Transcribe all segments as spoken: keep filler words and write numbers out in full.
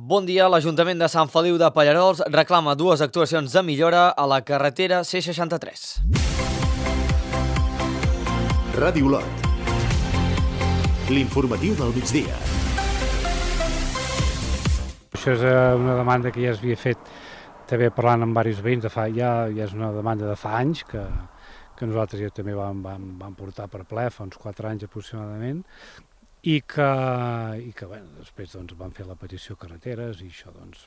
Bon dia. L'Ajuntament de Sant Feliu de Pallerols reclama dues actuacions de millora a la carretera C seixanta-tres. Ràdio Lot. L'informatiu del migdia. Això és una demanda que ja es havia fet també parlant amb diversos veïns, de fa, ja, ja és una demanda de fa anys que, que nosaltres ja també vam, vam, vam portar per ple, fa uns quatre anys aproximadament, i que, i que bueno, després doncs, van fer la petició carreteres i això doncs,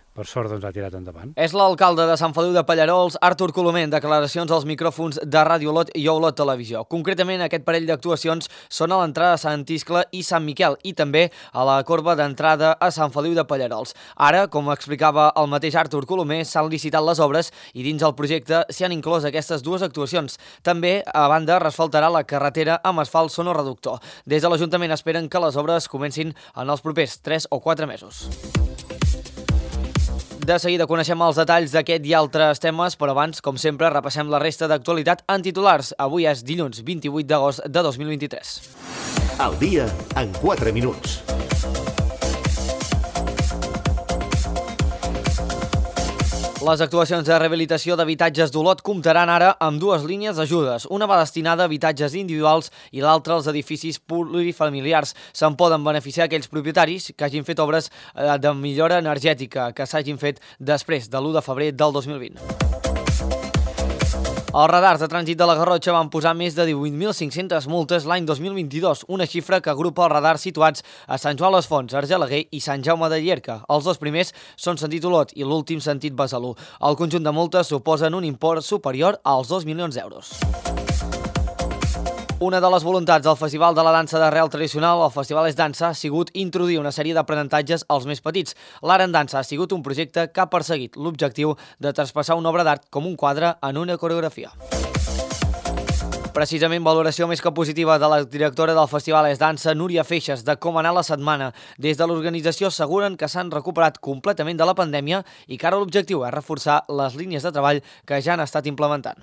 per sort doncs, ha tirat endavant. És l'alcalde de Sant Feliu de Pallerols, Artur Colomer, en declaracions als micròfons de Ràdio Lot i Olot Televisió. Concretament, aquest parell d'actuacions són a l'entrada a Sant Iscle i Sant Miquel i també a la corba d'entrada a Sant Feliu de Pallerols. Ara, com explicava el mateix Artur Colomer, s'han licitat les obres i dins el projecte s'hi han inclòs aquestes dues actuacions. També, a banda, resfaltarà la carretera amb asfalt sonoreductor. Des de l'Ajuntament esperen que les obres comencin en els propers tres o quatre mesos. De seguida coneixem els detalls d'aquest i altres temes, però abans, com sempre, repassem la resta d'actualitat en titulars. Avui és dilluns vint-i-vuit d'agost de dos mil vint-i-tres. El dia en quatre minuts. Les actuacions de rehabilitació d'habitatges d'Olot comptaran ara amb dues línies d'ajudes. Una va destinada a habitatges individuals i l'altra als edificis plurifamiliars. Se'n poden beneficiar aquells propietaris que hagin fet obres de millora energètica que s'hagin fet després de l'u de febrer del dos mil vint. Els radars de trànsit de la Garrotxa van posar més de divuit mil cinc-centes multes l'any dos mil vint-i-dos, una xifra que agrupa els radars situats a Sant Joan les Fonts, Argelaguer i Sant Jaume de Llierca. Els dos primers són sentit Olot i l'últim sentit Besalú. El conjunt de multes suposen un import superior als dos milions d'euros. Una de les voluntats del Festival de la Dansa d'Arrel Tradicional, el Festival és Dansa, ha sigut introduir una sèrie d'aprenentatges als més petits. L'Art en Dansa ha sigut un projecte que ha perseguit l'objectiu de traspassar una obra d'art com un quadre en una coreografia. Precisament, valoració més que positiva de la directora del Festival és Dansa, Núria Feixes, de com anar la setmana. Des de l'organització asseguren que s'han recuperat completament de la pandèmia i que ara l'objectiu és reforçar les línies de treball que ja han estat implementant.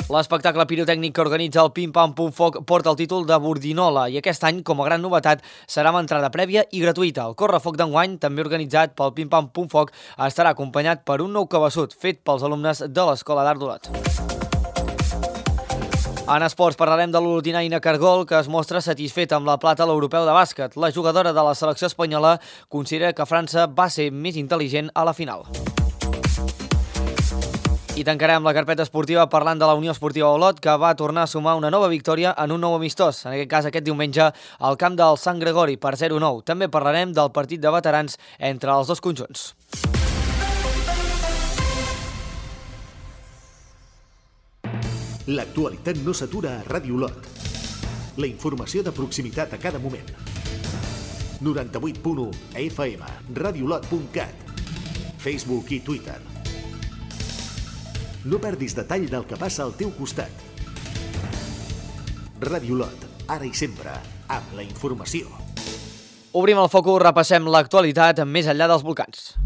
L'espectacle pirotècnic que organitza el Pim Pam Pum Foc porta el títol de Bordinola i aquest any, com a gran novetat, serà amb entrada prèvia i gratuïta. El correfoc d'enguany, també organitzat pel Pim Pam Pum Foc, estarà acompanyat per un nou cabeçut fet pels alumnes de l'Escola d'Art d'Olot. En esports parlarem de l'olotinaina Cargol, que es mostra satisfeta amb la plata a l'europeu de bàsquet. La jugadora de la selecció espanyola considera que França va ser més intel·ligent a la final. I tancarem la carpeta esportiva parlant de la Unió Esportiva Olot, que va tornar a sumar una nova victòria en un nou amistós, en aquest cas aquest diumenge, al camp del Sant Gregori per zero nou. També parlarem del partit de veterans entre els dos conjunts. L'actualitat no s'atura a Ràdio Lot. La informació de proximitat a cada moment. noranta-vuit punt u F M, radiolot punt cat, Facebook i Twitter. No perdis detall del que passa al teu costat. Ràdio Lot, ara i sempre, amb la informació. Obrim el focus, repassem l'actualitat més enllà dels volcans.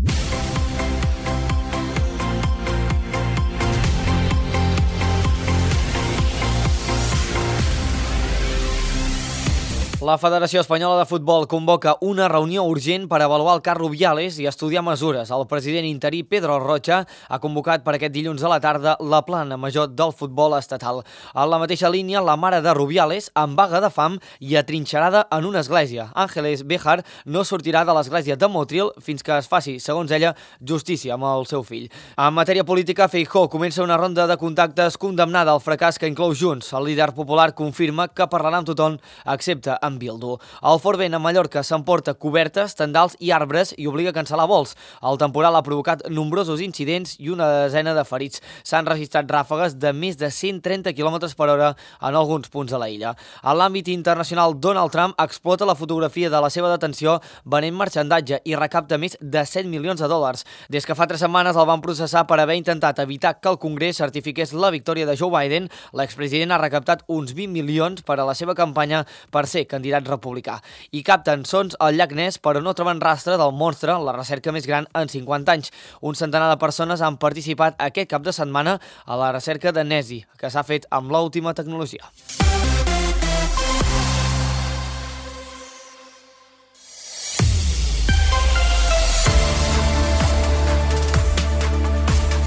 La Federació Espanyola de Futbol convoca una reunió urgent per avaluar el cas Rubiales i estudiar mesures. El president interí Pedro Rocha ha convocat per aquest dilluns a la tarda la plana major del futbol estatal. A la mateixa línia, la mare de Rubiales, amb vaga de fam i atrinxerada en una església. Ángeles Béjar no sortirà de l'església de Motril fins que es faci, segons ella, justícia amb el seu fill. En matèria política, Feijóo comença una ronda de contactes condemnada al fracàs que inclou Junts. El líder popular confirma que parlarà amb tothom, excepte amb Bildu. El fort vent a Mallorca s'emporta cobertes, tendals i arbres i obliga a cancel·lar vols. El temporal ha provocat nombrosos incidents i una desena de ferits. S'han registrat ràfegues de més de cent trenta quilòmetres per hora en alguns punts de la illa. A l'àmbit internacional, Donald Trump explota la fotografia de la seva detenció venent marxandatge i recapta més de set milions de dòlars. Des que fa tres setmanes el van processar per haver intentat evitar que el Congrés certifiqués la victòria de Joe Biden, l'expresident ha recaptat uns vint milions per a la seva campanya per ser candidat republicà. I capten sons al llac Ness, però no troben rastre del monstre, la recerca més gran en cinquanta anys. Un centenar de persones han participat aquest cap de setmana a la recerca de Nessie, que s'ha fet amb l'última tecnologia.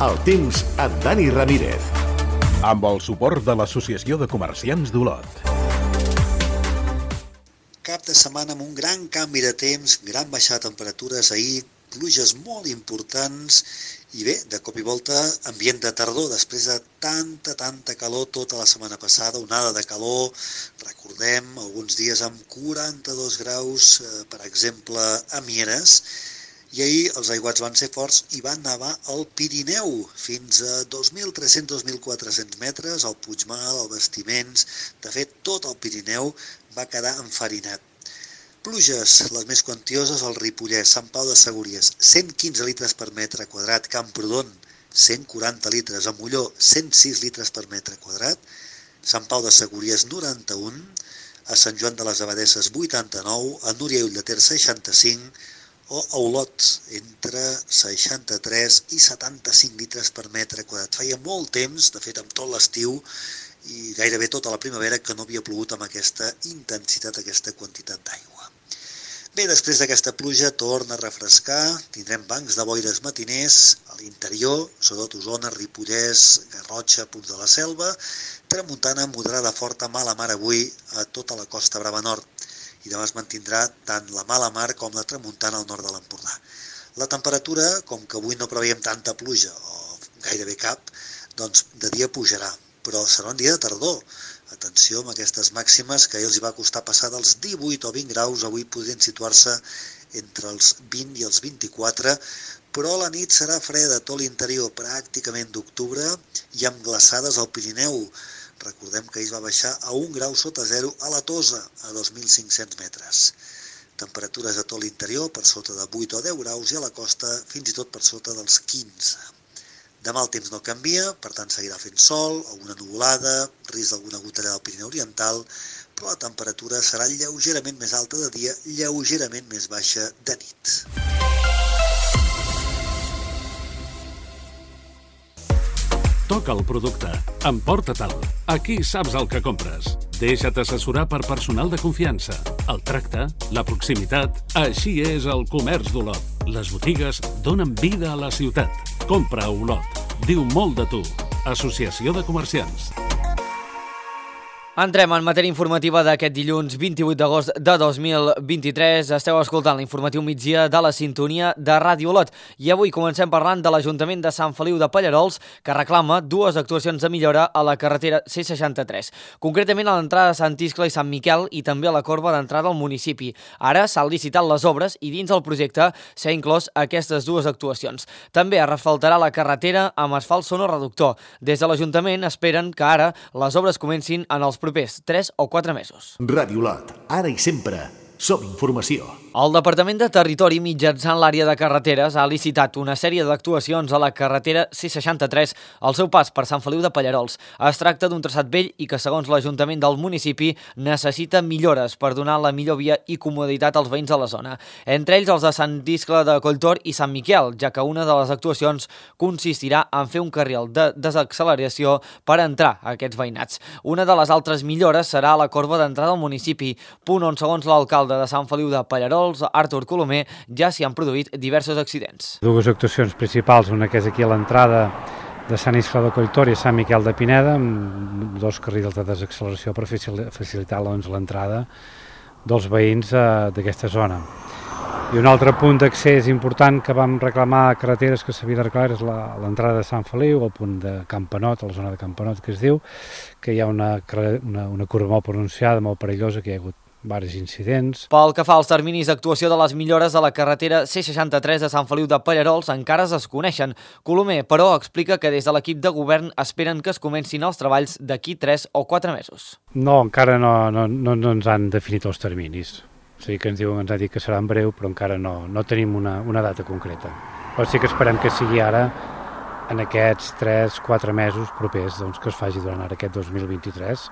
El temps amb Dani Ramírez. Amb el suport de l'Associació de Comerciants d'Olot. Cap de setmana amb un gran canvi de temps, gran baixada de temperatures ahir, pluges molt importants i bé, de cop i volta, ambient de tardor, després de tanta, tanta calor tota la setmana passada, onada de calor, recordem, alguns dies amb quaranta-dos graus, eh, per exemple, a Mieres, i ahir els aiguats van ser forts i van nevar al Pirineu, fins a dos mil tres-cents a dos mil quatre-cents metres, al Puigmal, al Bastiments, de fet, tot el Pirineu va quedar enfarinat. Pluges, les més quantioses al Ripollès, Sant Pau de Segúries, cent quinze litres per metre quadrat, Camprodon, cent quaranta litres, a Molló, cent sis litres per metre quadrat, Sant Pau de Segúries, noranta-un, a Sant Joan de les Abadesses, vuitanta-nou, a Núria i Ull de Ter, seixanta-cinc, o a Olot, entre seixanta-tres i setanta-cinc litres per metre quadrat. Feia molt temps, de fet amb tot l'estiu, i gairebé tota la primavera, que no havia plogut amb aquesta intensitat, aquesta quantitat d'aigua. Bé, després d'aquesta pluja torna a refrescar, tindrem bancs de boires matiners a l'interior, sobretot Osona, Ripollès, Garrotxa, punts de la Selva, tramuntana moderada forta mala mar avui a tota la Costa Brava Nord, i demà es mantindrà tant la mala mar com la tramuntana al nord de l'Empordà. La temperatura, com que avui no preveiem tanta pluja, o gairebé cap, doncs de dia pujarà, però serà un dia de tardor. Atenció amb aquestes màximes que els hi va costar passar dels divuit o vint graus, avui podrien situar-se entre els vint i els vint-i-quatre, però la nit serà freda a tot l'interior, pràcticament d'octubre, i amb glaçades al Pirineu. Recordem que ahir va baixar a un grau sota zero a la Tosa, a dos mil cinc-cents metres. Temperatures a tot l'interior per sota de vuit o deu graus i a la costa fins i tot per sota dels quinze. Demà el temps no canvia, per tant seguirà fent sol, alguna nuvolada, risc d'alguna gotellada al Pirineu Oriental, però la temperatura serà lleugerament més alta de dia, lleugerament més baixa de nit. Toca el producte, emporta-te'l. Aquí saps el que compres. Deixa't assessorar per personal de confiança. El tracte, la proximitat, així és el comerç d'Olot. Les botigues donen vida a la ciutat. Compra a Olot. Diu molt de tu. Associació de Comerciants. Entrem en matèria informativa d'aquest dilluns vint-i-vuit d'agost de dos mil vint-i-tres. Esteu escoltant l'informatiu migdia de la sintonia de Ràdio Olot. I avui comencem parlant de l'Ajuntament de Sant Feliu de Pallerols, que reclama dues actuacions de millora a la carretera C seixanta-tres. Concretament a l'entrada de Sant Iscle i Sant Miquel i també a la corba d'entrada al municipi. Ara s'han licitat les obres i dins del projecte s'ha inclòs aquestes dues actuacions. També es refaltarà la carretera amb asfalt sonoreductor. Des de l'Ajuntament esperen que ara les obres comencin en els propers tres o quatre mesos. Ràdio Olot, ara i sempre, som informació. El Departament de Territori, mitjançant l'àrea de carreteres, ha licitat una sèrie d'actuacions a la carretera C seixanta-tres al seu pas per Sant Feliu de Pallerols. Es tracta d'un traçat vell i que, segons l'Ajuntament del municipi, necessita millores per donar la millor via i comoditat als veïns de la zona. Entre ells els de Sant Iscle de Colltor i Sant Miquel, ja que una de les actuacions consistirà en fer un carril de desacceleració per entrar a aquests veïnats. Una de les altres millores serà a la corba d'entrada al municipi, punt on, segons l'alcalde de Sant Feliu de Pallerols, Artur Colomer, ja s'hi han produït diversos accidents. Dues actuacions principals, una que és aquí a l'entrada de Sant Iscle de Colltor i Sant Miquel de Pineda, amb dos carrils de desacceleració per facilitar doncs, l'entrada dels veïns eh, d'aquesta zona. I un altre punt d'accés important que vam reclamar a carreteres que s'havia d'arreglar és l'entrada de Sant Feliu, el punt de Campanot, a la zona de Campanot que es diu, que hi ha una, una, una curva molt pronunciada, molt perillosa, que hi ha hagut diversos incidents. Pel que fa als terminis d'actuació de les millores de la carretera C seixanta-tres de Sant Feliu de Pallerols encara es desconeixen. Colomer, però, explica que des de l'equip de govern esperen que es comencin els treballs d'aquí tres o quatre mesos. No, encara no, no, no, no ens han definit els terminis. O sigui que ens diuen, ens ha dit que serà en breu, però encara no, no tenim una, una data concreta. Però sí que esperem que sigui ara, en aquests tres o quatre mesos propers, doncs, que es faci durant ara aquest dos mil vint-i-tres.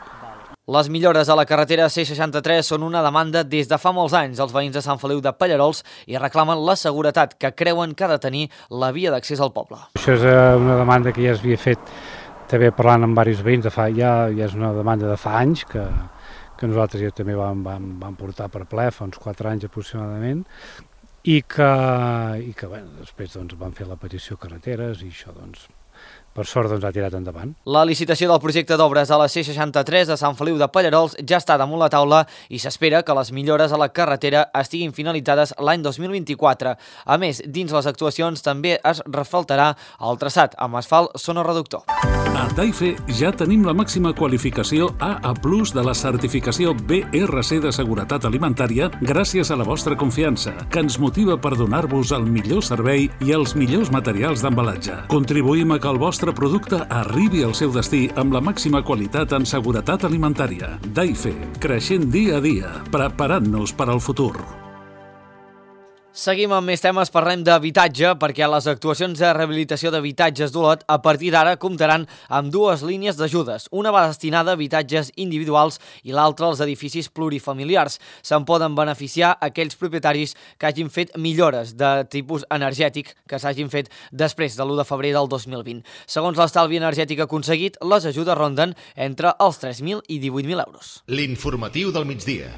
Les millores a la carretera C seixanta-tres són una demanda des de fa molts anys. Els veïns de Sant Feliu de Pallerols i reclamen la seguretat que creuen que ha de tenir la via d'accés al poble. Això és una demanda que ja es havia fet també parlant amb diversos veïns, de fa, ja, ja és una demanda de fa anys que, que nosaltres ja també vam, vam, vam portar per ple, fa uns quatre anys aproximadament, i que, i que bueno, després doncs, vam fer la petició carreteres i això doncs, per sort doncs, ha tirat endavant. La licitació del projecte d'obres a la C seixanta-tres de Sant Feliu de Pallerols ja està damunt la taula i s'espera que les millores a la carretera estiguin finalitzades l'any dos mil vint-i-quatre. A més, dins les actuacions també es refaltarà el traçat amb asfalt sonoreductor. A Daife ja tenim la màxima qualificació A A plus de la certificació B R C de seguretat alimentària gràcies a la vostra confiança, que ens motiva per donar-vos el millor servei i els millors materials d'embalatge. Contribuïm a que el vostre El vostre producte arribi al seu destí amb la màxima qualitat en seguretat alimentària. Daife, creixent dia a dia, preparant-nos per al futur. Seguim amb més temes, parlem d'habitatge, perquè les actuacions de rehabilitació d'habitatges d'Olot a partir d'ara comptaran amb dues línies d'ajudes. Una va destinada a habitatges individuals i l'altra als edificis plurifamiliars. Se'n poden beneficiar aquells propietaris que hagin fet millores de tipus energètic que s'hagin fet després de l'u de febrer del dos mil vint. Segons l'estalvi energètic aconseguit, les ajudes ronden entre els tres mil i divuit mil euros. L'informatiu del migdia.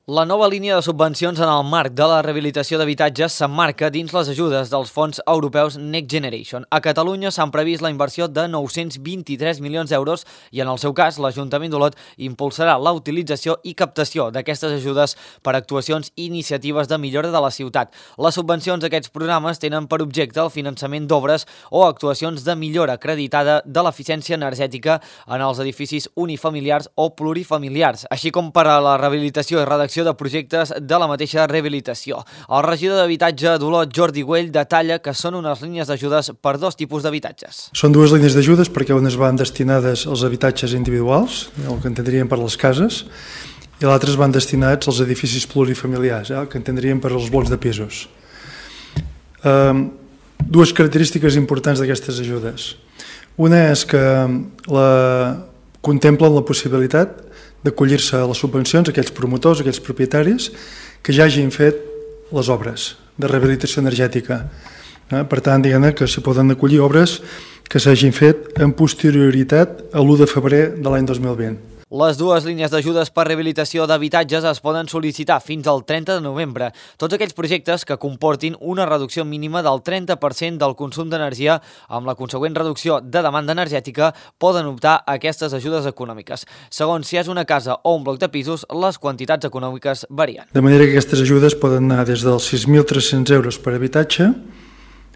La nova línia de subvencions en el marc de la rehabilitació d'habitatges s'emmarca dins les ajudes dels fons europeus Next Generation. A Catalunya s'han previst la inversió de nou-cents vint-i-tres milions d'euros i en el seu cas l'Ajuntament d'Olot impulsarà la utilització i captació d'aquestes ajudes per actuacions i iniciatives de millora de la ciutat. Les subvencions d'aquests programes tenen per objecte el finançament d'obres o actuacions de millora acreditada de l'eficiència energètica en els edificis unifamiliars o plurifamiliars, així com per a la rehabilitació i redacció de projectes de la mateixa rehabilitació. El regidor d'Habitatge d'Olot, Jordi Güell, detalla que són unes línies d'ajudes per dos tipus d'habitatges. Són dues línies d'ajudes perquè unes van destinades als habitatges individuals, el que entendríem per les cases, i l'altres van destinats als edificis plurifamiliars, el que entendríem per als blocs de pisos. Um, dues característiques importants d'aquestes ajudes. Una és que la, contemplen la possibilitat d'acollir-se a les subvencions aquells promotors, aquells propietaris que ja hagin fet les obres de rehabilitació energètica. Per tant, diguem-ne que s'hi poden acollir obres que s'hagin fet en posterioritat a l'u de febrer de l'any dos mil vint. Les dues línies d'ajudes per rehabilitació d'habitatges es poden sol·licitar fins al trenta de novembre. Tots aquells projectes que comportin una reducció mínima del trenta per cent del consum d'energia amb la consegüent reducció de demanda energètica poden optar a aquestes ajudes econòmiques. Segons si és una casa o un bloc de pisos, les quantitats econòmiques varien. De manera que aquestes ajudes poden anar des dels sis mil tres-cents euros per habitatge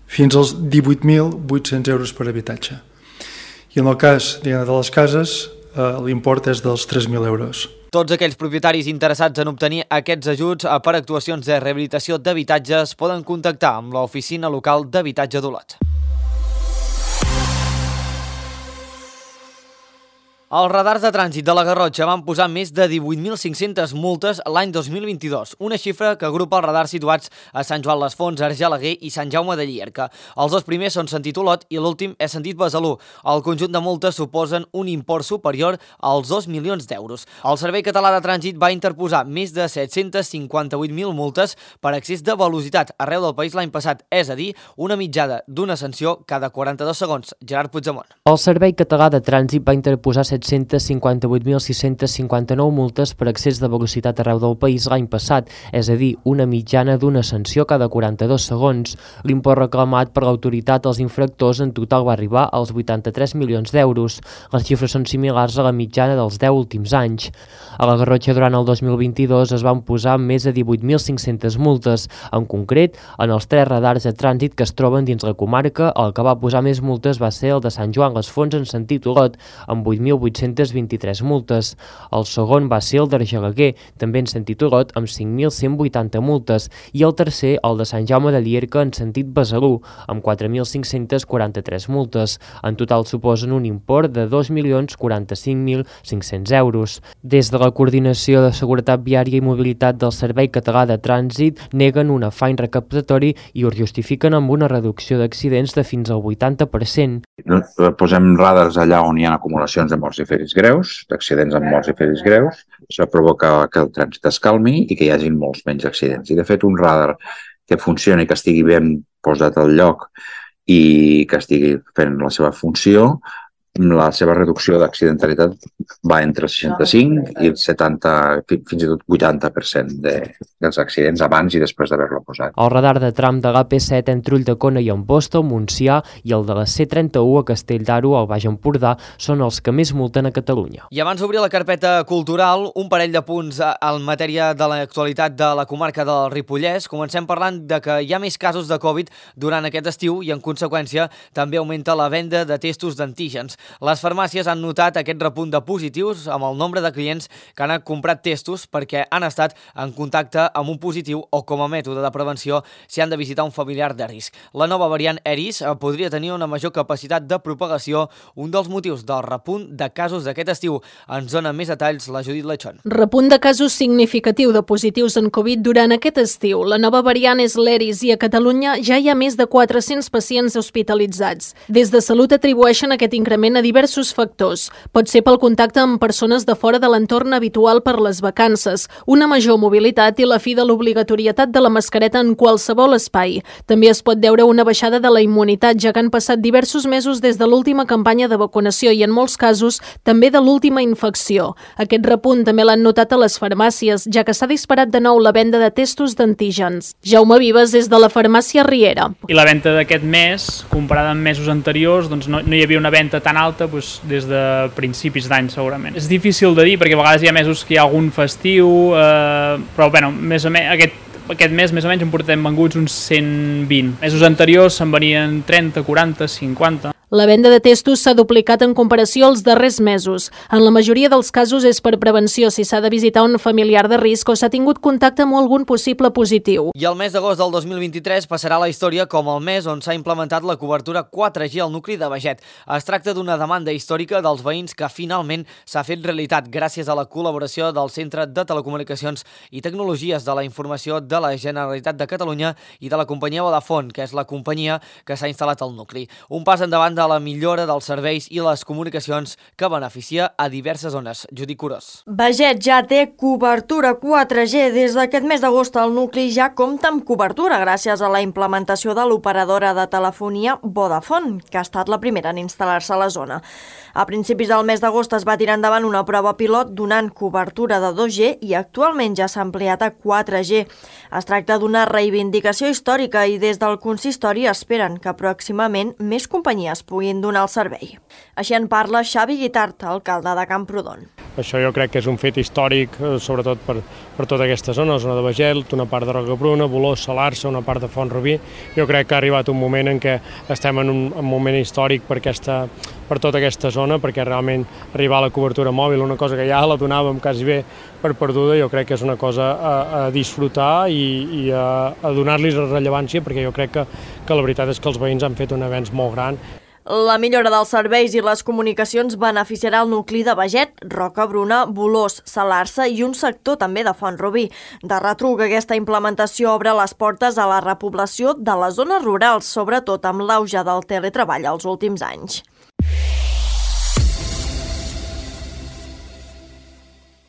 fins als divuit mil vuit-cents euros per habitatge. I en el cas de les cases, l'import és dels tres mil euros. Tots aquells propietaris interessats en obtenir aquests ajuts per actuacions de rehabilitació d'habitatges poden contactar amb l'oficina local d'habitatge d'Olot. Els radars de trànsit de la Garrotxa van posar més de divuit mil cinc-centes multes l'any dos mil vint-i-dos, una xifra que agrupa els radars situats a Sant Joan les Fonts, Argelaguer i Sant Jaume de Llierca. Els dos primers són sentit Olot i l'últim és sentit Besalú. El conjunt de multes suposen un import superior als dos milions d'euros. El Servei Català de Trànsit va interposar més de set-cents cinquanta-vuit mil multes per excés de velocitat arreu del país l'any passat, és a dir, una mitjana d'una sanció cada quaranta-dos segons. Gerard Puigdemont. El Servei Català de Trànsit va interposar set-cents cinquanta-vuit mil sis-cents cinquanta-nou multes per excés de velocitat arreu del país l'any passat, és a dir, una mitjana d'una sanció cada quaranta-dos segons. L'import reclamat per l'autoritat als infractors en total va arribar als vuitanta-tres milions d'euros. Les xifres són similars a la mitjana dels deu últims anys. A la Garrotxa, durant el dos mil vint-i-dos, es van posar més de divuit mil cinc-centes multes. En concret, en els tres radars de trànsit que es troben dins la comarca, el que va posar més multes va ser el de Sant Joan les Fonts en sentit Olot, amb vuit mil vuit-cents vint-i-tres multes. El segon va ser el d'Argelaguer, també en sentit Olot, amb cinc mil cent vuitanta multes, i el tercer, el de Sant Jaume de Llierca, en sentit Besalú, amb quatre mil cinc-cents quaranta-tres multes. En total suposen un import de dos milions quaranta-cinc mil cinc-cents euros. Des de la Coordinació de Seguretat Viària i Mobilitat del Servei Català de Trànsit neguen un afany recaptatori i ho justifiquen amb una reducció d'accidents de fins al vuitanta per cent. Posem radars allà on hi ha acumulacions de morts i ferits greus, d'accidents amb morts i ferits greus. Això provoca que el trànsit es calmi i que hi hagi molts menys accidents. I de fet un radar que funcioni, que estigui ben posat al lloc i que estigui fent la seva funció, la seva reducció d'accidentalitat va entre el seixanta-cinc i el setanta, fins i tot vuitanta per cent de, dels accidents abans i després d'haver-lo posat. El radar de tram de l'A P set entre Ulldecona i Amposta, Montsià, i el de la C trenta-u a Castelldaro, al Baix Empordà, són els que més multen a Catalunya. I abans d'obrir la carpeta cultural, un parell de punts en matèria de l'actualitat de la comarca del Ripollès. Comencem parlant de que hi ha més casos de Covid durant aquest estiu i, en conseqüència, també augmenta la venda de testos d'antígens. Les farmàcies han notat aquest repunt de positius amb el nombre de clients que han comprat testos perquè han estat en contacte amb un positiu o, com a mètode de prevenció, si han de visitar un familiar de risc. La nova variant Eris podria tenir una major capacitat de propagació, un dels motius del repunt de casos d'aquest estiu. Ens dona més detalls la Judit Lechón. Repunt de casos significatiu de positius en Covid durant aquest estiu. La nova variant és l'Eris i a Catalunya ja hi ha més de quatre-cents pacients hospitalitzats. Des de Salut atribueixen aquest increment a diversos factors. Pot ser pel contacte amb persones de fora de l'entorn habitual per les vacances, una major mobilitat i la fi de l'obligatorietat de la mascareta en qualsevol espai. També es pot deure una baixada de la immunitat, ja que han passat diversos mesos des de l'última campanya de vacunació i, en molts casos, també de l'última infecció. Aquest repunt també l'han notat a les farmàcies, ja que s'ha disparat de nou la venda de testos d'antígens. Jaume Vives és de la farmàcia Riera. I la venda d'aquest mes, comparada amb mesos anteriors, doncs no, no hi havia una venda tan alta doncs, des de principis d'any segurament. És difícil de dir perquè a vegades hi ha mesos que hi ha algun festiu, eh, però bueno, més o menys aquest, aquest mes més o menys en portem venguts uns cent vint. Mesos anteriors se'n venien trenta, quaranta, cinquanta. La venda de testos s'ha duplicat en comparació als darrers mesos. En la majoria dels casos és per prevenció si s'ha de visitar un familiar de risc o s'ha tingut contacte amb algun possible positiu. I el mes d'agost del dos mil vint-i-tres passarà a la història com el mes on s'ha implementat la cobertura quatre G al nucli de Beget. Es tracta d'una demanda històrica dels veïns que finalment s'ha fet realitat gràcies a la col·laboració del Centre de Telecomunicacions i Tecnologies de la Informació de la Generalitat de Catalunya i de la companyia Vodafone, que és la companyia que s'ha instal·lat al nucli. Un pas endavant de la millora dels serveis i les comunicacions que beneficia a diverses zones. Judit Curós. Beget ja té cobertura quatre G. Des d'aquest mes d'agost el nucli ja compta amb cobertura gràcies a la implementació de l'operadora de telefonia Vodafone, que ha estat la primera en instal·lar-se a la zona. A principis del mes d'agost es va tirar endavant una prova pilot donant cobertura de dos G i actualment ja s'ha ampliat a quatre G. Es tracta d'una reivindicació històrica i des del consistori esperen que pròximament més companyies puguin donar el servei. Així en parla Xavi Guitart, alcalde de Camprodon. Això jo crec que és un fet històric, sobretot per, per tota aquesta zona, la zona de Beget, una part de Rocabruna, Bolós, Salarsa, una part de Font-rubí. Jo crec que ha arribat un moment en què estem en un, un moment històric per, aquesta, per tota aquesta zona, perquè realment arribar a la cobertura mòbil, una cosa que ja la donàvem quasi bé per perduda, jo crec que és una cosa a, a disfrutar i, i a, a donar-li rellevància, perquè jo crec que, que la veritat és que els veïns han fet un avenç molt gran. La millora dels serveis i les comunicacions beneficiarà el nucli de Beget, Rocabruna, Bolós, Salarsa i un sector també de Font-rubí. De retruc, aquesta implementació obre les portes a la repoblació de les zones rurals, sobretot amb l'auge del teletreball als últims anys.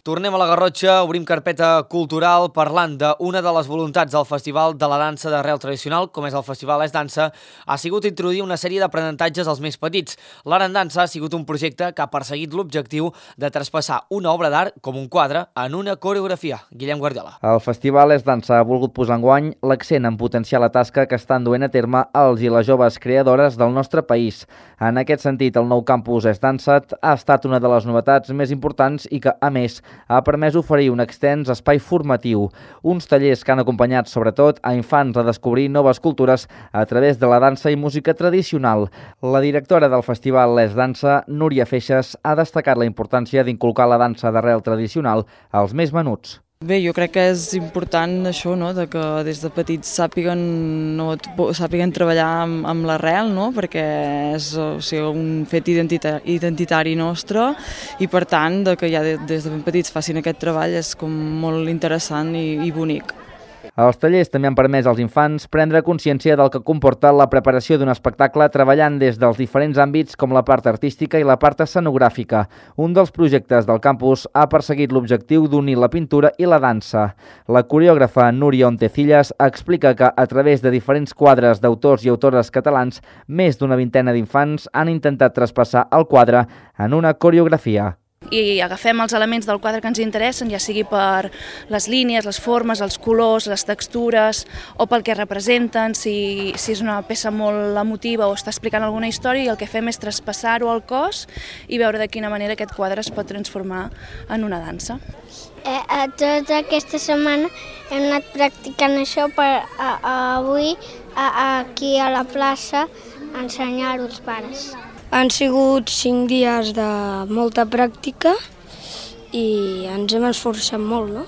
Tornem a la Garrotxa, obrim carpeta cultural parlant d'una de les voluntats del Festival de la Dansa d'Arrel Tradicional, com és el Festival És Dansa, ha sigut introduir una sèrie d'aprenentatges als més petits. L'Art en Dansa ha sigut un projecte que ha perseguit l'objectiu de traspassar una obra d'art, com un quadre, en una coreografia. Guillem Guardiola. El Festival És Dansa ha volgut posar enguany l'accent en potenciar la tasca que estan duent a terme els i les joves creadores del nostre país. En aquest sentit, el nou campus És Dansa ha estat una de les novetats més importants i que, a més, ha permès oferir un extens espai formatiu, uns tallers que han acompanyat sobretot a infants a descobrir noves cultures a través de la dansa i música tradicional. La directora del festival És Dansa, Núria Feixes, ha destacat la importància d'inculcar la dansa d'arrel tradicional als més menuts. Bé, jo crec que és important això, no?, de que des de petits sàpiguen, no, sàpiguen treballar amb, amb l'arrel, no?, perquè és o sigui, un fet identitari, identitari nostre i per tant de que ja des de ben petits facin aquest treball és com molt interessant i, i bonic. Els tallers també han permès als infants prendre consciència del que comporta la preparació d'un espectacle treballant des dels diferents àmbits com la part artística i la part escenogràfica. Un dels projectes del campus ha perseguit l'objectiu d'unir la pintura i la dansa. La coreògrafa Núria Ontecillas explica que a través de diferents quadres d'autors i autores catalans, més d'una vintena d'infants han intentat traspassar el quadre en una coreografia. I agafem els elements del quadre que ens interessen, ja sigui per les línies, les formes, els colors, les textures, o pel que representen, si, si és una peça molt emotiva o està explicant alguna història, i el que fem és traspassar-ho al cos i veure de quina manera aquest quadre es pot transformar en una dansa. Eh, a tota aquesta setmana hem anat practicant això per a, a avui a, a, aquí a la plaça ensenyar-ho als pares. Han sigut cinc dies de molta pràctica i ens hem esforçat molt, no?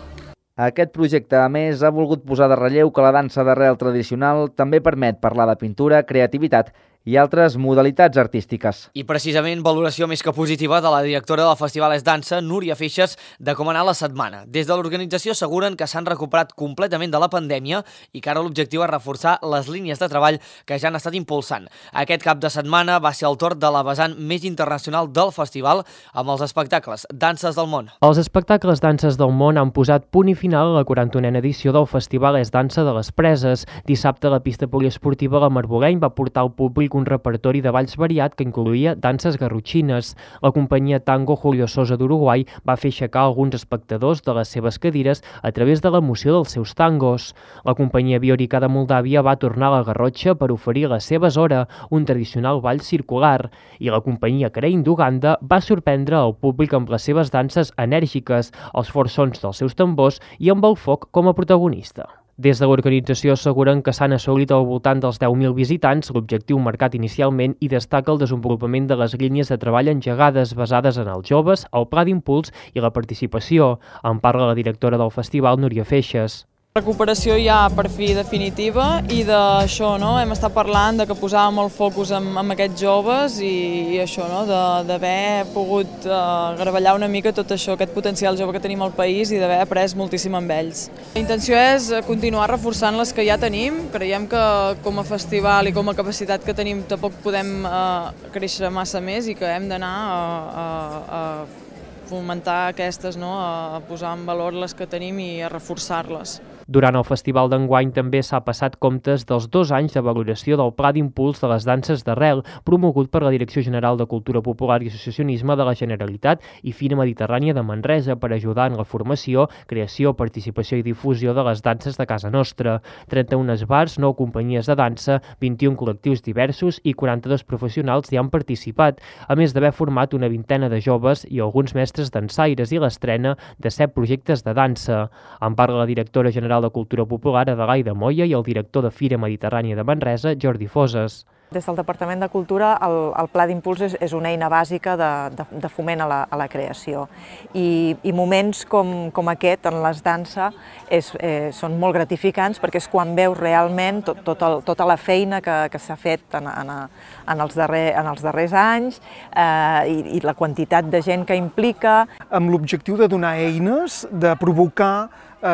Aquest projecte, a més, ha volgut posar de relleu que la dansa d'arrel tradicional també permet parlar de pintura, creativitat i altres modalitats artístiques. I precisament valoració més que positiva de la directora del Festival És Dansa, Núria Feixas, de com ha anat la setmana. Des de l'organització asseguren que s'han recuperat completament de la pandèmia i que ara l'objectiu és reforçar les línies de treball que ja han estat impulsant. Aquest cap de setmana va ser el torn de la vessant més internacional del festival amb els espectacles Danses del Món. Els espectacles Danses del Món han posat punt i final a la quaranta-unena edició del Festival És Dansa de les Preses. Dissabte la pista poliesportiva La Marboleny va portar al públic un repertori de balls variat que incloïa danses garrotxines. La companyia Tango Julio Sosa d'Uruguai va fer aixecar alguns espectadors de les seves cadires a través de l'emoció dels seus tangos. La companyia Biorica de Moldàvia va tornar a la Garrotxa per oferir la seva Zora, un tradicional ball circular, i la companyia Crane d'Uganda va sorprendre el públic amb les seves danses enèrgiques, els forts sons dels seus tambors i amb el foc com a protagonista. Des de l'organització asseguren que s'han assolit al voltant dels deu mil visitants, l'objectiu marcat inicialment, i destaca el desenvolupament de les línies de treball engegades basades en els joves, el pla d'impuls i la participació. En parla la directora del festival, Núria Feixas. Recuperació ja per fi definitiva i d'això, no? Hem estat parlant de que posàvem el focus en, en aquests joves i, i això, no? D'haver pogut uh, gravellar una mica tot això, aquest potencial jove que tenim al país i d'haver après moltíssim amb ells. La intenció és continuar reforçant les que ja tenim. Creiem que com a festival i com a capacitat que tenim tampoc podem uh, créixer massa més i que hem d'anar a, a, a fomentar aquestes, no? A posar en valor les que tenim i a reforçar-les. Durant el festival d'enguany també s'ha passat comptes dels dos anys de valoració del Pla d'Impuls de les Danses d'Arrel, promogut per la Direcció General de Cultura Popular i Associacionisme de la Generalitat i Fira Mediterrània de Manresa per ajudar en la formació, creació, participació i difusió de les danses de casa nostra. trenta-un esbars, nou companyies de dansa, vint-i-un col·lectius diversos i quaranta-dos professionals hi han participat, a més d'haver format una vintena de joves i alguns mestres dansaires i l'estrena de set projectes de dansa. En parla la directora general de Cultura Popular, Adelaida Moya, i el director de Fira Mediterrània de Manresa, Jordi Foses. Des del Departament de Cultura, el, el Pla d'Impuls és, és una eina bàsica de, de, de foment a la, a la creació. I, i moments com, com aquest en les dansa és, eh, són molt gratificants perquè és quan veus realment tot, tot el, tota la feina que, que s'ha fet en, en, en, els darrer, en els darrers anys eh, i, i la quantitat de gent que implica. Amb l'objectiu de donar eines, de provocar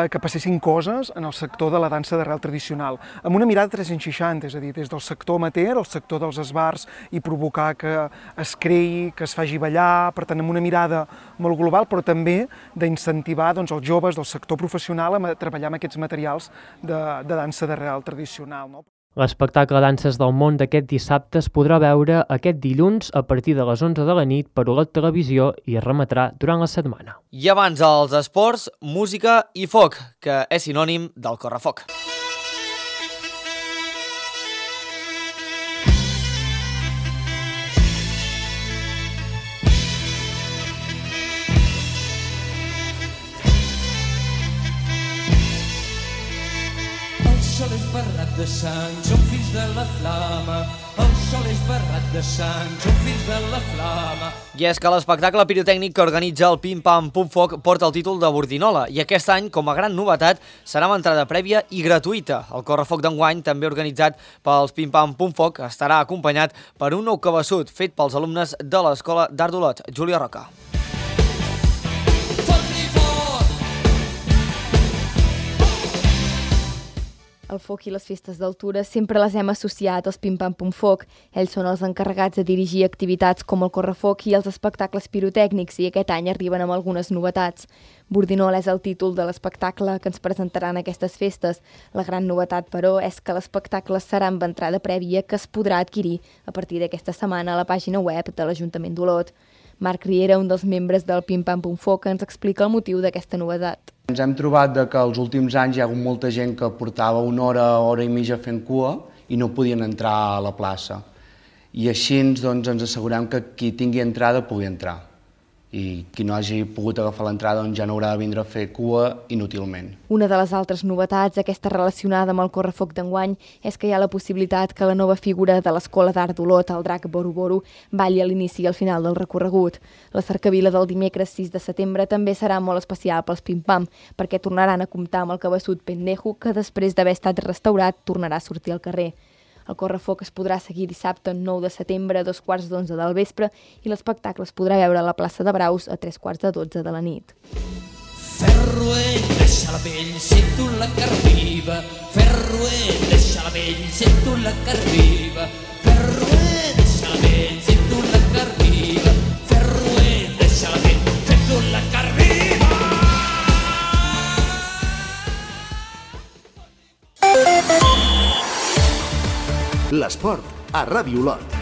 que passessin coses en el sector de la dansa d'arrel tradicional, amb una mirada tres-cents seixanta, és a dir, des del sector amateur al sector dels esbars i provocar que es creï, que es faci ballar, per tant, amb una mirada molt global, però també d'incentivar doncs, els joves del sector professional a treballar amb aquests materials de, de dansa d'arrel tradicional. No? L'espectacle Danses del Món d'aquest dissabte es podrà veure aquest dilluns a partir de les onze de la nit per Olot Televisió i es remetrà durant la setmana. I abans els esports, música i foc, que és sinònim del correfoc. El sol és barrat de sang, som fills de la flama. El sol és barrat de sang, som fills de la flama. I és que l'espectacle pirotècnic que organitza el Pim Pam Pum Foc porta el títol de Bordinola i aquest any, com a gran novetat, serà amb entrada prèvia i gratuïta. El correfoc d'enguany, també organitzat pels Pim Pam Pum Foc, estarà acompanyat per un nou cabeçut fet pels alumnes de l'Escola d'Art d'Olot. Júlia Roca. El foc i les festes d'altura sempre les hem associat als Pim Pam Pum Foc. Ells són els encarregats de dirigir activitats com el correfoc i els espectacles pirotècnics i aquest any arriben amb algunes novetats. Bordinol és el títol de l'espectacle que ens presentaran aquestes festes. La gran novetat, però, és que l'espectacle serà amb entrada prèvia que es podrà adquirir a partir d'aquesta setmana a la pàgina web de l'Ajuntament d'Olot. Marc Riera, un dels membres del Pim Pam Pum Foc, ens explica el motiu d'aquesta novetat. Ens hem trobat que els últims anys hi ha hagut molta gent que portava una hora, hora i mitja fent cua i no podien entrar a la plaça. I així doncs, ens assegurem que qui tingui entrada pugui entrar. I qui no hagi pogut agafar l'entrada doncs ja no haurà de vindre a fer cua inútilment. Una de les altres novetats, aquesta relacionada amb el correfoc d'enguany, és que hi ha la possibilitat que la nova figura de l'Escola d'Art d'Olot, el drac Boru Boru, balli a l'inici i al final del recorregut. La cercavila del dimecres sis de setembre també serà molt especial pels Pim Pam, perquè tornaran a comptar amb el cabeçut Pendejo, que després d'haver estat restaurat tornarà a sortir al carrer. El correfoc es podrà seguir dissabte nou de setembre a dos quarts d'onze del vespre i l'espectacle es podrà veure a la plaça de Braus a tres quarts de dotze de la nit. Ferruell, deixa la pell, sento la carn-viva. Ferruell, deixa la pell, sento la carn-viva. Ferruell, deixa la pell, sento la carn-viva. Ferruell, deixa la pell, sento la carn-viva. L'esport a Ràdio Olot.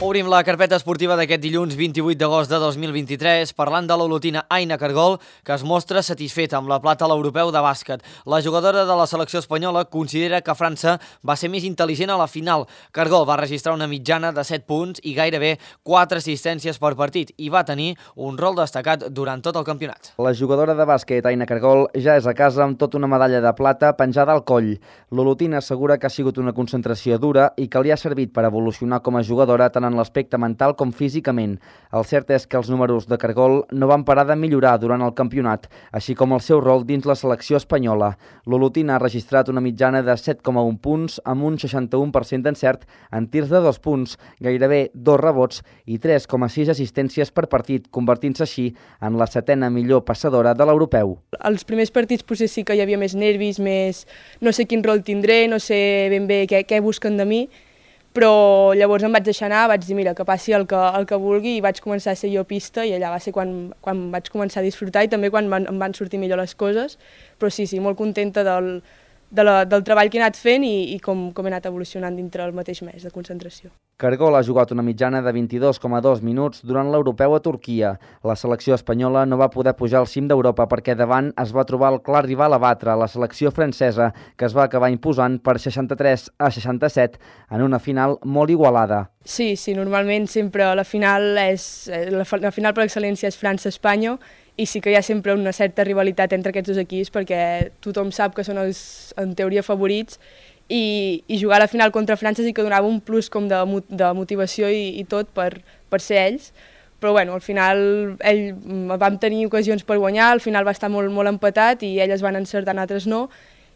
Obrim la carpeta esportiva d'aquest dilluns vint-i-vuit d'agost de dos mil vint-i-tres parlant de l'olotina Aina Cargol, que es mostra satisfeta amb la plata a l'europeu de bàsquet. La jugadora de la selecció espanyola considera que França va ser més intel·ligent a la final. Cargol va registrar una mitjana de set punts i gairebé quatre assistències per partit i va tenir un rol destacat durant tot el campionat. La jugadora de bàsquet Aina Cargol ja és a casa amb tota una medalla de plata penjada al coll. L'olotina assegura que ha sigut una concentració dura i que li ha servit per evolucionar com a jugadora tant en l'aspecte mental com físicament. El cert és que els números de Cargol no van parar de millorar durant el campionat, així com el seu rol dins la selecció espanyola. L'olotina ha registrat una mitjana de set coma un punts amb un seixanta-u per cent d'encert en tirs de dos punts, gairebé dos rebots i tres coma sis assistències per partit, convertint-se així en la setena millor passadora de l'europeu. Els primers partits potser sí que hi havia més nervis, més no sé quin rol tindré, no sé ben bé què, què busquen de mi, però llavors em vaig deixar anar, vaig dir mira, que passi el que, el que vulgui i vaig començar a ser jo pista i allà va ser quan, quan vaig començar a disfrutar i també quan van, em van sortir millor les coses, però sí, sí, molt contenta del, de la, del treball que he anat fent i, i com, com he anat evolucionant dintre el mateix mes de concentració. Cargol ha jugat una mitjana de vint-i-dos coma dos minuts durant l'europeu a Turquia. La selecció espanyola no va poder pujar al cim d'Europa perquè davant es va trobar el clar rival a batre, la selecció francesa, que es va acabar imposant per seixanta-tres a seixanta-set en una final molt igualada. Sí, sí, normalment sempre la final, és, la, la final per excel·lència és França-Espanya i sí que hi ha sempre una certa rivalitat entre aquests dos equips perquè tothom sap que són els, en teoria, favorits i, i jugar a la final contra França sí que donava un plus com de, de motivació i, i tot per, per ser ells, però bueno, al final ell, vam tenir ocasions per guanyar, al final va estar molt, molt empatat i elles van encertar, altres no,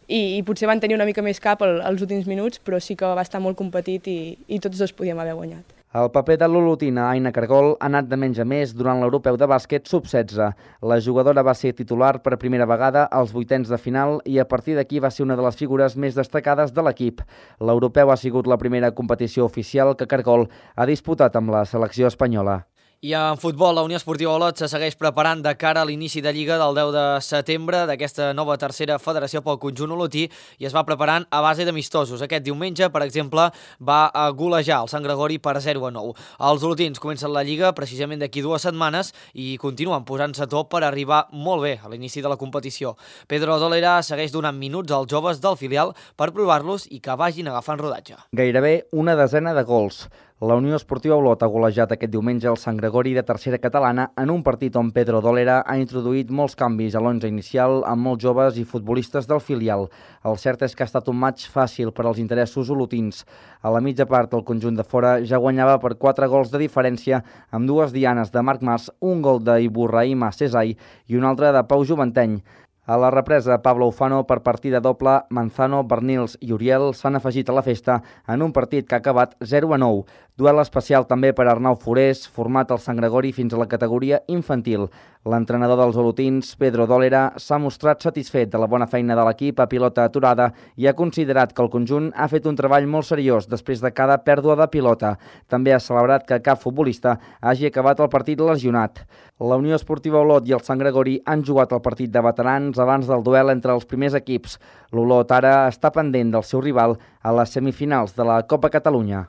i, i potser van tenir una mica més cap al, als últims minuts, però sí que va estar molt competit i, i tots dos podíem haver guanyat. El paper de l'olotina Aina Cargol ha anat de menys a més durant l'europeu de bàsquet sub setze. La jugadora va ser titular per primera vegada als vuitens de final i a partir d'aquí va ser una de les figures més destacades de l'equip. L'europeu ha sigut la primera competició oficial que Cargol ha disputat amb la selecció espanyola. I en futbol, la Unió Esportiva Olot se segueix preparant de cara a l'inici de Lliga del deu de setembre d'aquesta nova tercera federació pel conjunt olotí i es va preparant a base d'amistosos. Aquest diumenge, per exemple, va a golejar el Sant Gregori per zero a nou. Els olotins comencen la Lliga precisament d'aquí dues setmanes i continuen posant-se a top per arribar molt bé a l'inici de la competició. Pedro Dolera segueix donant minuts als joves del filial per provar-los i que vagin agafant rodatge. Gairebé una desena de gols. La Unió Esportiva Olot ha golejat aquest diumenge el Sant Gregori de tercera catalana en un partit on Pedro Dolera ha introduït molts canvis a l'onze inicial amb molts joves i futbolistes del filial. El cert és que ha estat un matx fàcil per als interessos olotins. A la mitja part el conjunt de fora ja guanyava per quatre gols de diferència amb dues dianes de Marc Mas, un gol d'Ibrahima Cesai i un altre de Pau Juventeny. A la represa, Pablo Ufano per partida doble, Manzano, Bernils i Uriel s'han afegit a la festa en un partit que ha acabat zero a nou. Duel especial també per Arnau Forés, format al Sant Gregori fins a la categoria infantil. L'entrenador dels olotins, Pedro Dólera, s'ha mostrat satisfet de la bona feina de l'equip a pilota aturada i ha considerat que el conjunt ha fet un treball molt seriós després de cada pèrdua de pilota. També ha celebrat que cap futbolista hagi acabat el partit lesionat. La Unió Esportiva Olot i el Sant Gregori han jugat el partit de veterans abans del duel entre els primers equips. L'Olot ara està pendent del seu rival a les semifinals de la Copa Catalunya.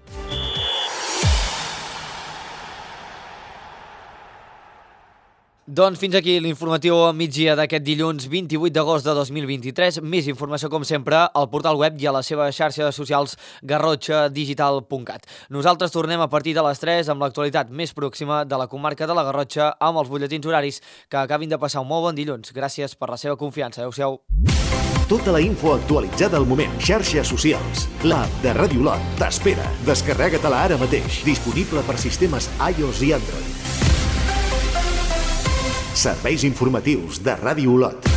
Doncs fins aquí l'informatiu migdia d'aquest dilluns vint-i-vuit d'agost de dos mil vint-i-tres. Més informació, com sempre, al portal web i a les seves xarxes socials garrotxa digital punt cat. Nosaltres tornem a partir de les tres amb l'actualitat més pròxima de la comarca de la Garrotxa amb els butlletins horaris. Que acabin de passar un molt bon dilluns. Gràcies per la seva confiança. Adéu-siau. Tota la info actualitzada al moment. Xarxes socials. L'app de Ràdio Olot t'espera. Descarrega-te-la ara mateix. Disponible per sistemes iOS i Android. Serveis informatius de Ràdio Olot.